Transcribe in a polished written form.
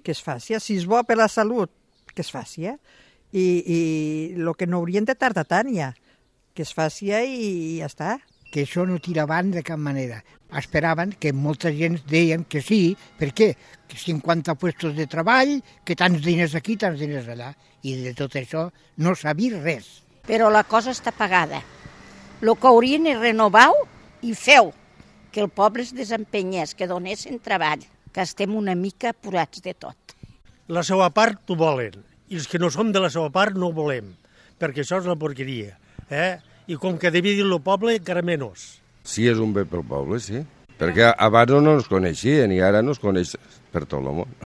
que es faci. Si és bo per la salut, que es faci. I el que no haurien de tardar tant ja, que es faci i ja està. Que això no tira avant de cap manera. Esperaven que molta gent deien que sí, per què? Que 50 puestos de treball, que tants diners aquí, tants diners allà. I de tot això no s'ha vist res. Però la cosa està pagada. El que haurien és renovar-ho i feu que el poble es desempenyés, que donessin treball, que estem una mica apurats de tot. La seva part ho volen, i els que no som de la seva part no ho volem, perquè això és la porqueria. I com que devia dir el poble, encara menys. Sí, és un bé pel poble, sí. Perquè abans no ens coneixien i ara no es coneix per tot el món.